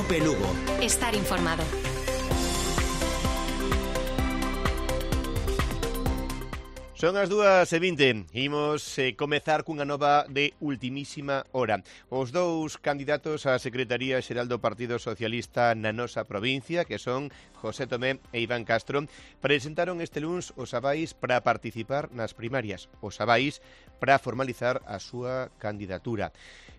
Cope Lugo. Estar informado. Son as 2:20, imos comezar cunha nova de ultimísima hora. Os dous candidatos á Secretaría Xeral do Partido Socialista na nosa provincia, que son José Tomé e Iván Castro, presentaron este luns os avais para participar nas primarias, os avais para formalizar a súa candidatura.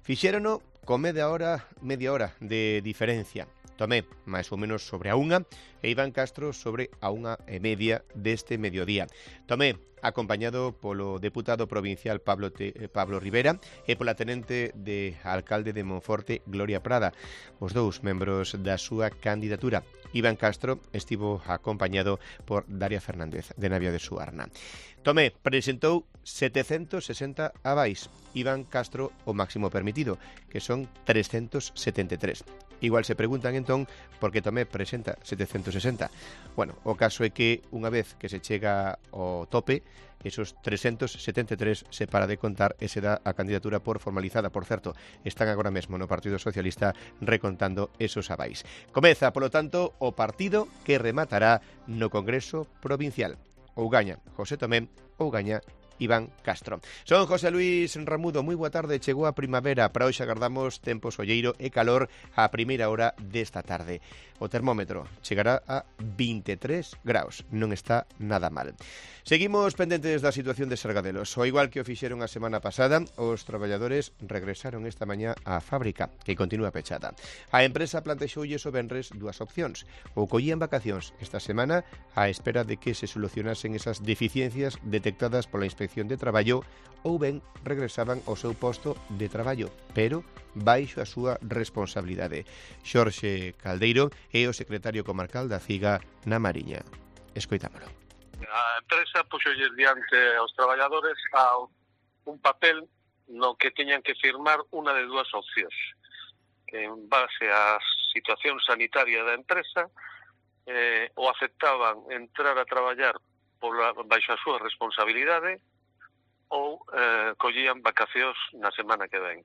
Fixérono con media hora de diferencia. Tomé máis ou menos sobre a 1 e Iván Castro sobre a 1:30 deste mediodía. Tomé acompañado polo deputado provincial Pablo Rivera e pola tenente de alcalde de Monforte, Gloria Prada, os dous membros da súa candidatura. Iván Castro estivo acompañado por Daria Fernández, de Navia de Suarna. Tomé presentou 760 avais, Iván Castro o máximo permitido, que son 373. Igual se preguntan entón por que Tomé presenta 760. Bueno, o caso é que unha vez que se chega ao tope, esos 373 se para de contar e se dá a candidatura por formalizada. Por certo, están agora mesmo no Partido Socialista recontando esos avais. Comeza, polo tanto, o partido que rematará no Congreso Provincial. Ou gaña José Tomé ou gaña Iván Castro. Son José Luis Ramudo, moi boa tarde, chegou a primavera, para hoxe agardamos tempo solleiro e calor á primeira hora desta tarde. O termómetro chegará a 23 graus, non está nada mal. Seguimos pendentes da situación de Sargadelos. O igual que o fixeron a semana pasada, os traballadores regresaron esta mañá á fábrica, que continúa pechada. A empresa plantexoulles o venres dúas opcións. Ou collían vacacións esta semana á espera de que se solucionasen esas deficiencias detectadas pola Inspección de Traballo, ou ben regresaban ao seu posto de traballo, pero baixo a súa responsabilidade. Xorxe Caldeiro é o secretario comarcal da CIGA na Mariña. Escoitámolo. A empresa puxolles diante aos traballadores un papel no que teñan que firmar unha de dúas opcións. En base á situación sanitaria da empresa, o aceptaban entrar a traballar baixo a súa responsabilidade ou collían vacacións na semana que ven.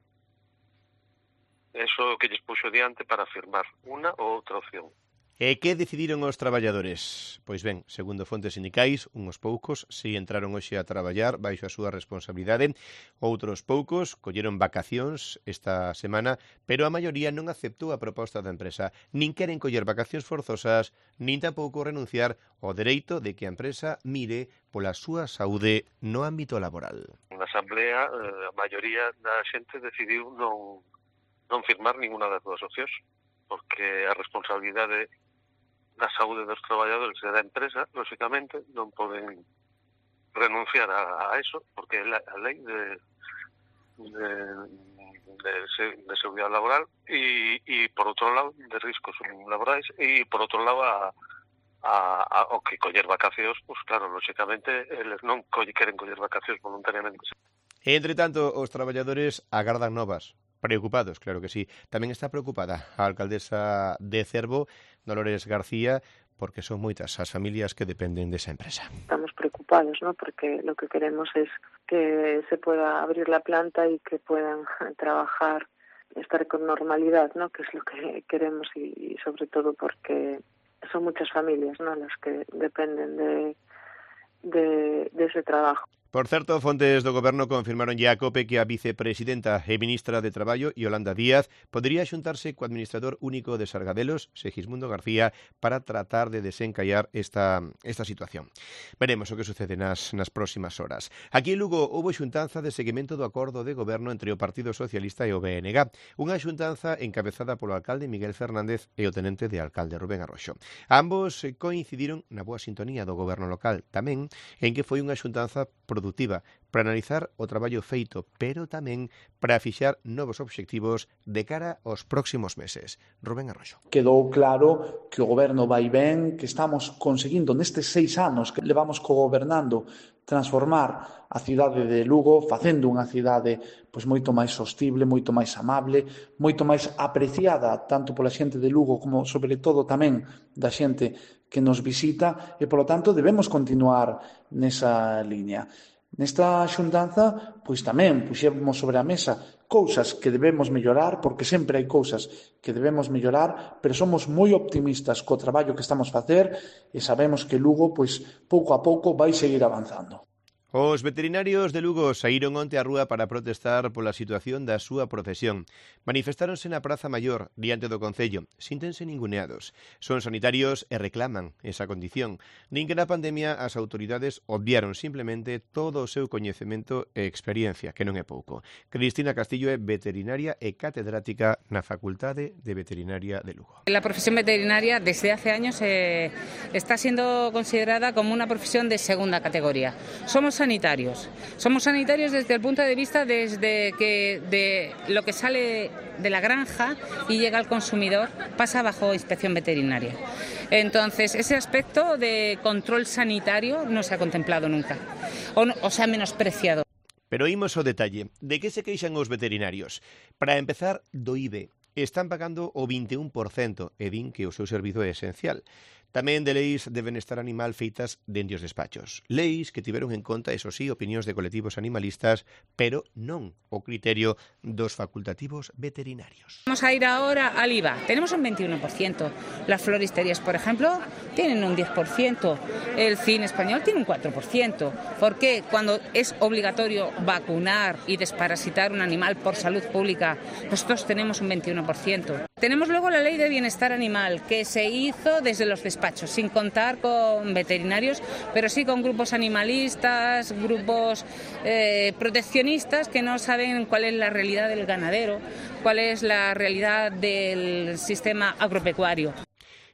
Eso que lles puxo diante para firmar unha ou outra opción. E que decidiron os traballadores? Pois ben, segundo fontes sindicais, uns poucos si entraron hoxe a traballar baixo a súa responsabilidade, outros poucos colleron vacacións esta semana, pero a maioría non aceptou a proposta da empresa. Nin queren coller vacacións forzosas, nin tampouco renunciar ao dereito de que a empresa mire pola súa saúde no ámbito laboral. Na asamblea, a maioría da xente decidiu non firmar ninguna das dúas opcións, porque a responsabilidade da saúde dos traballadores e da empresa, lógicamente, non poden renunciar a eso, porque é a lei de seguridade laboral e por outro lado, de riscos laborais, e por outro lado, o que coller vacacións, pues claro, lógicamente, eles non queren coller vacacións voluntariamente. E, entre tanto, os traballadores agardan novas. Preocupados, claro que sí. Tamén está preocupada a alcaldesa de Cervo, Dolores García, porque son moitas as familias que dependen desa empresa. Estamos preocupados, ¿no? Porque lo que queremos es que se pueda abrir la planta y que puedan trabajar, estar con normalidad, ¿no? Que es lo que queremos y sobre todo porque son muchas familias, ¿no? Las que dependen de ese trabajo. Por certo, fontes do Goberno confirmaron ya a COPE que a vicepresidenta e ministra de Traballo, Yolanda Díaz, podería xuntarse co administrador único de Sargadelos, Segismundo García, para tratar de desencallar esta situación. Veremos o que sucede nas próximas horas. Aquí en Lugo houbo xuntanza de seguimento do acordo de goberno entre o Partido Socialista e o BNG, unha xuntanza encabezada polo alcalde Miguel Fernández e o tenente de alcalde Rubén Arroxo. Ambos coincidiron na boa sintonía do goberno local, tamén en que foi unha xuntanza produtiva para analizar o traballo feito, pero tamén para fixar novos obxectivos de cara aos próximos meses. Rubén Arroxo. Quedou claro que o goberno vai ben, que estamos conseguindo nestes 6 anos que levamos cogobernando transformar a cidade de Lugo, facendo unha cidade pois moito máis sostible, moito máis amable, moito máis apreciada tanto pola xente de Lugo como sobre todo tamén da xente que nos visita e, polo tanto, debemos continuar nesa liña. Nesta xuntanza, pois tamén puxemos sobre a mesa cousas que debemos mellorar, porque sempre hai cousas que debemos mellorar, pero somos moi optimistas co traballo que estamos a facer e sabemos que Lugo, pois, pouco a pouco vai seguir avanzando. Os veterinarios de Lugo saíron onte á rúa para protestar pola situación da súa profesión. Manifestáronse na Praza Maior, diante do Concello. Síntense ninguneados. Son sanitarios e reclaman esa condición. Nin que na pandemia as autoridades obviaron simplemente todo o seu coñecemento e experiencia, que non é pouco. Cristina Castillo é veterinaria e catedrática na Facultade de Veterinaria de Lugo. La profesión veterinaria desde hace años está siendo considerada como una profesión de segunda categoría. Somos sanitarios desde el punto de vista desde que de lo que sale de la granja y llega al consumidor pasa bajo inspección veterinaria. Entonces, ese aspecto de control sanitario no se ha contemplado nunca o se ha menospreciado. Pero imos ao detalle. De que se queixan os veterinarios? Para empezar, do IBE. Están pagando o 21% e din que o seu servizo é esencial. Tamén de leis de benestar animal feitas dende os despachos. Leis que tiveron en conta, eso sí, opinións de colectivos animalistas, pero non o criterio dos facultativos veterinarios. Vamos a ir ahora al IVA. Tenemos un 21%. Las floristerías, por ejemplo, tienen un 10%. El cine español tiene un 4%. ¿Por qué? Cuando es obligatorio vacunar y desparasitar un animal por salud pública, nosotros tenemos un 21%. Tenemos luego la ley de bienestar animal, que se hizo desde los despachos, sin contar con veterinarios, pero sí con grupos animalistas, grupos proteccionistas que no saben cuál es la realidad del ganadero, cuál es la realidad del sistema agropecuario.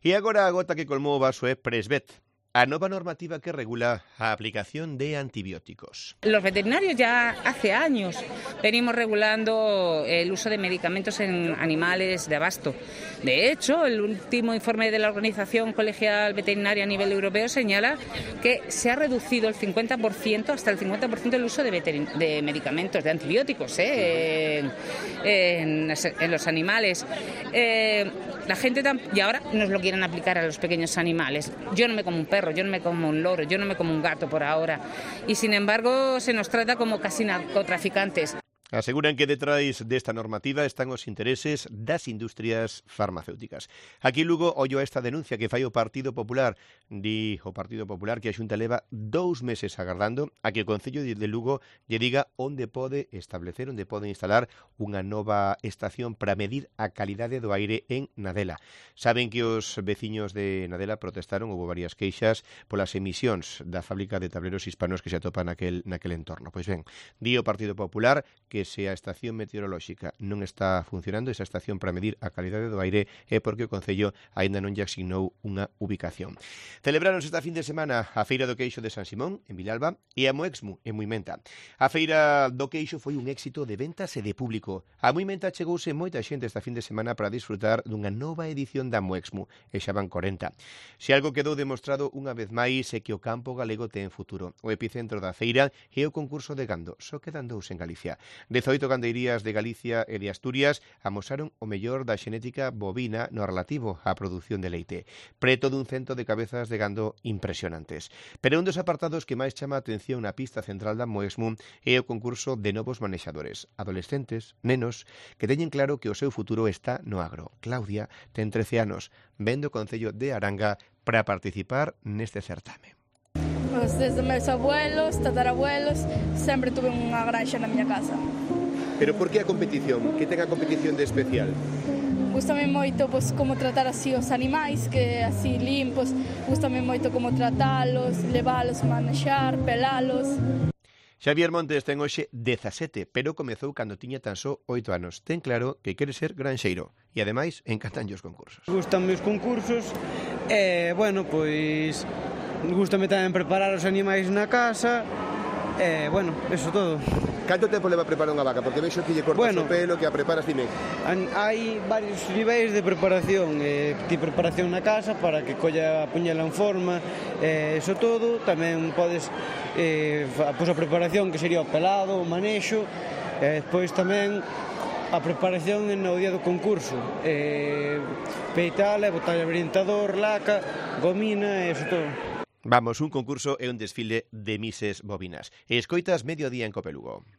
E agora a gota que colmou o vaso é Presvet, a nova normativa que regula a aplicación de antibióticos. Los veterinarios ya hace años venimos regulando el uso de medicamentos en animales de abasto. De hecho, el último informe de la Organización Colegial Veterinaria a nivel europeo señala que se ha reducido el 50%, hasta el 50% el uso de medicamentos, de antibióticos en los animales. La gente y ahora nos lo quieren aplicar a los pequeños animales. Yo no me como un perro, yo no me como un loro, yo no me como un gato por ahora. Y sin embargo se nos trata como casi narcotraficantes. Aseguran que detrás desta normativa están os intereses das industrias farmacéuticas. Aquí Lugo ollo a esta denuncia que fai o Partido Popular. Di o Partido Popular que a Xunta leva 2 meses agardando a que o Concello de Lugo lle diga onde pode establecer, onde pode instalar unha nova estación para medir a calidade do aire en Nadela. Saben que os veciños de Nadela protestaron, houve varias queixas polas emisións da fábrica de tableros hispanos que se atopa naquel entorno. Pois ben, di o Partido Popular que se a estación meteorolóxica non está funcionando, esa estación para medir a calidade do aire, é porque o Concello aínda non lle asignou unha ubicación. Celebráronse esta fin de semana a Feira do Queixo de San Simón, en Vilalba, e a Moexmu, en Muimenta. A Feira do Queixo foi un éxito de ventas e de público. A Muimenta chegouse moita xente esta fin de semana para disfrutar dunha nova edición da Moexmu, e xa van 40. Se algo quedou demostrado unha vez máis é que o campo galego ten futuro. O epicentro da feira é o concurso de gando, só quedan 2 en Galicia. 18 gandeirías de Galicia e de Asturias amosaron o mellor da xenética bovina no relativo á produción de leite. Preto dun 100 de cabezas de gando impresionantes. Pero un dos apartados que máis chama a atención na pista central da Moexmu é o concurso de novos manexadores, adolescentes, nenos, que teñen claro que o seu futuro está no agro. Claudia ten 13 anos, ven do Concello de Aranga para participar neste certame. Desde meus abuelos, tatarabuelos, sempre tuve unha granxa na miña casa. Pero por que a competición? Que ten a competición de especial? Gústame moito como tratar así os animais, que así limpos. Gústame moito como tratalos, levalos, manexar, pelalos. Xavier Montes ten hoxe 17, pero comezou cando tiña tan só 8 anos. Ten claro que quere ser granxeiro e, ademais, encantanlle os concursos. Gústanme os concursos e, bueno, pois gústame tamén preparar os animais na casa e, bueno, eso todo. Canto tempo leva a preparar unha vaca? Porque vexo que lle cortas o pelo, que a preparas, dime. Hai varios niveis de preparación. Ti preparación na casa para que colla a puñela en forma, eso todo. Tamén podes a preparación que sería o pelado, o manexo, e despois tamén a preparación no día do concurso. Peitala, botarlle orientador, laca, gomina, eso todo. Vamos, un concurso e un desfile de mises bovinas. E escoitas Mediodía en Cope Lugo.